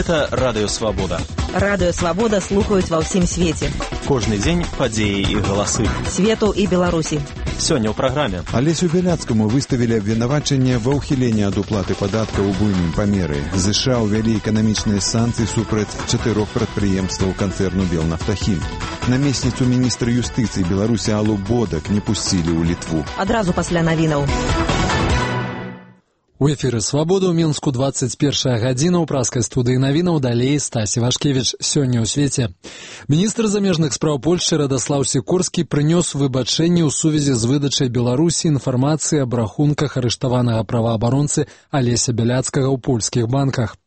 Гэта Радыё Свабода. Радыё Свабода слухаюць ва ўсім свеце. Кожны дзень падзеі і галасы. Свету і Беларусі. Сёння ў праграме. Алесю Бяляцкаму выставілі абвінавачанне ва ўхіленні ад уплаты падаткаў у буйным памеры. ЗША ўвялі эканамічныя санкцыі супраць 4 прадпрыемстваў канцэрну «Белнафтахім». Намесніцу міністра юстыцыі Беларусі Аллу Бодак не пусцілі ў Літву. Адразу пасля навінаў. У эфіры «Свабода» ў Мінску 21 гадзіна. У праскай студыі навінаў далей Стасі Вашкевіч. Сёння ў свеце. Міністр замежных спраў Польшчы Радаслаў Сікорскі прынёс выбачэнне ў сувязі з выдачай Беларусі інфармацыі аб рахунках арыштаванага праваабаронцы Алеся Бяляцкага ў польскіх банках.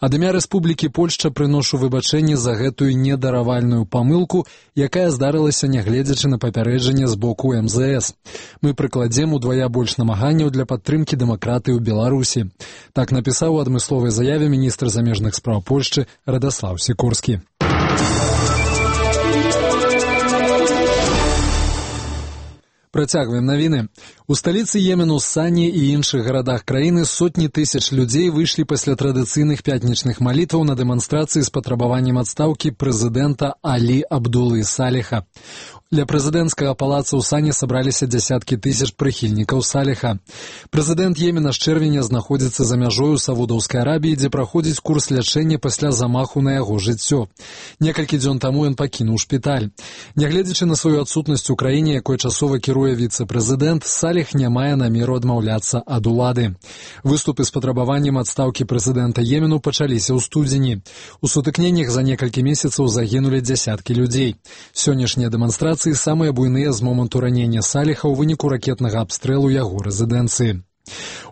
Ад імя Рэспублікі Польшча прыношу выбачэнне за гэтую недаравальную памылку, якая здарылася нягледзячы на папярэджанне з боку МЗС. Мы прыкладзем удвая больш намаганняў для падтрымкі дэмакратыі ў Беларусі. Так напісаў у адмысловай заяве міністр замежных спраў Польшчы Радаслаў Сікорскі. Працягваем навіны. У сталіцы Йемену, Сані і іншых гарадах краіны сотні тысяч людзей выйшлі пасля традыцыйных пятнічных малітваў на дэманстрацыі з патрабаваннем адстаўкі прэзідэнта Алі Абдулы Саліха. Для прэзідэнцкага палаца ў Сані сабраліся дзясяткі тысяч прыхільнікаў Саліха. Прэзідэнт Йемена з чэрвеня знаходзіцца за мяжой у Саудаўскай Арабіі, дзе праходзіць курс лячэння пасля замаху на яго жыццё. Некалькі дзён таму ён пакінуў шпіталь. Нягледзячы на сваю адсутнасць у краіне, якой часова кіруе віцэ-прэзідэнт, Саліх не мае намеру адмаўляцца ад улады. Выступы з патрабаваннем адстаўкі прэзідэнта Йемену пачаліся ў студзені. У сутыкненнях за некалькі месяцаў загінулі дзясяткі людзей. Сённяшнія дэманстрацыі самыя буйныя з моманту ранення Саліха ў выніку ракетнага абстрэлу яго рэзідэнцыі.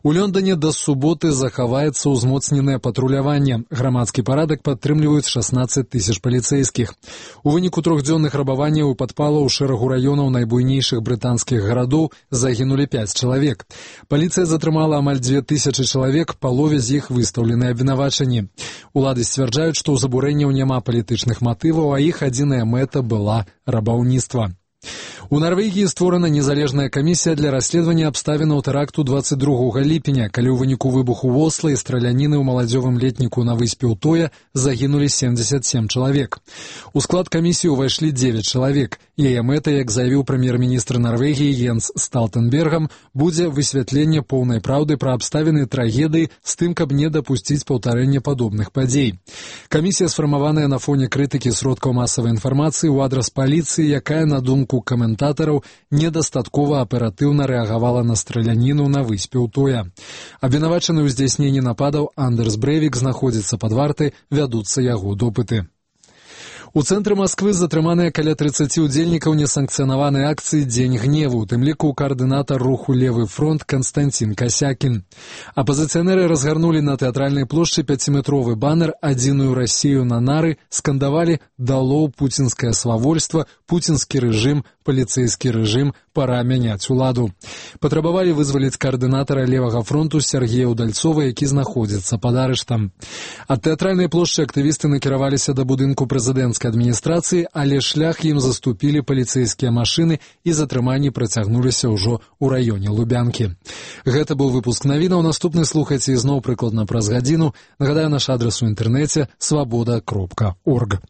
У Лондоне да суботы захаваецца ўзмоцненае патруляванне. Грамадскі парадак падтрымліваюць 16 тысяч паліцэйскіх. У выніку трохдзённых рабаванняў і падпалаў у шэрагу раёнаў найбуйнейшых брытанскіх гарадоў загінулі 5 чалавек. Паліцыя затрымала амаль 2000 чалавек, палове з іх выстаўлены абвінавачанні. Улады сцвярджаюць, што ў забурэнняў няма палітычных матываў, а іх адзіная мэта была рабаўніцтва. У Нарвегіі створана незалежная камісія для расследавання абставінаў тэракту 22 ліпеня, калі ў выніку выбуху ў Осла і страляніны ў маладзёвым летніку на выспе Утоя загінулі 77 чалавек. У склад камісіі ўвайшлі 9 чалавек. Яе мэта, як заявіў прэм'ер-міністр Нарвегіі Йенс Сталтенбергам, будзе высвятленне поўнай праўды пра абставіны трагедыі з тым, каб не дапусціць паўтарэння падобных падзей. Камісія сфармаваная на фоне крытыкі сродкаў масавай інфармацыі ў адрас паліцыі, якая, на думку каментатараў, недастаткова аператыўна рэагавала на страляніну на выспе Утоя. Абвінавачаны ў здзяйсненні нападаў Андерс Брэвік знаходзіцца пад вартай, вядуцца яго допыты. У цэнтры Масквы затрыманыя каля 30 удзельнікаў несанкцыянаванай акцыі «Дзень гневу», у тым ліку каардынатар руху «Левы фронт» Канстантин Касякін. Апазіцыянеры разгарнулі на тэатральнай плошчы 5-метровы банер «Адзіную Расію на нары», скандавалі «Дало пуцінскае свавольства», «Пуцінскі рэжым», «Паліцэйскі рэжым», «Пара мяняць уладу». Патрабавалі вызваліць каардынатара Левага фронту Сергея Удальцова, які знаходзіцца пад арыштам. Ад тэатральнай плошчы актывісты накіраваліся да будынку прэзідэнцкай адміністрацыі, але шлях ім заступілі паліцэйскія машыны і затрыманні працягнуліся ўжо ў раёне Лубянкі. Гэта быў выпуск навінаў. Наступны слухайце ізноў прыкладна праз гадзіну. Нагадаю, наш адрас у інтэрнэце свабода.орг.